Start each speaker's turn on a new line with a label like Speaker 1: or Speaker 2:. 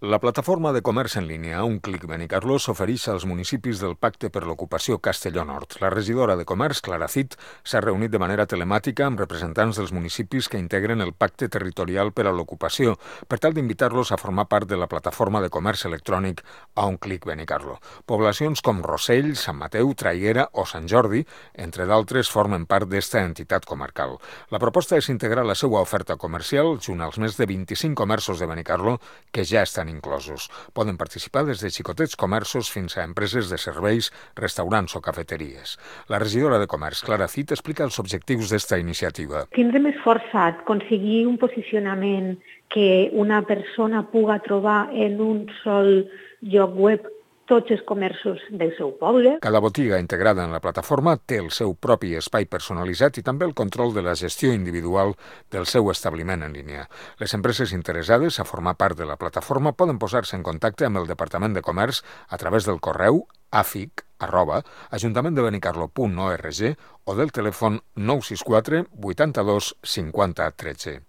Speaker 1: La plataforma de comerç en línia A un clic Benicarló s'ofereix als municipis del Pacte per l'Ocupació Castelló Nord. La regidora de Comerç, Clara Cid, s'ha reunit de manera telemàtica amb representants dels municipis que integren el Pacte Territorial per a l'Ocupació per tal d'invitar-los a formar part de la plataforma de comerç electrònic A un clic Benicarló. Poblacions com Rossell, Sant Mateu, Traiguera o Sant Jordi, entre d'altres, formen part d'esta entitat comarcal. La proposta és integrar la seva oferta comercial junt als més de 25 comerços de Benicarló que ja estan inclosos. Poden participar des de xicotets comerços fins a empreses de serveis, restaurants o cafeteries. La regidora de Comerç, Clara Cid, explica els objectius d'esta iniciativa.
Speaker 2: Tindrem esforçat aconseguir un posicionament que una persona puga trobar en un sol lloc web tots els comerços del seu poble.
Speaker 1: Cada botiga integrada en la plataforma té el seu propi espai personalitzat i també el control de la gestió individual del seu establiment en línia. Les empreses interessades a formar part de la plataforma poden posar-se en contacte amb el Departament de Comerç a través del correu afic@ajuntamenttdebenicarlo.org o del telèfon 964 82 50 13.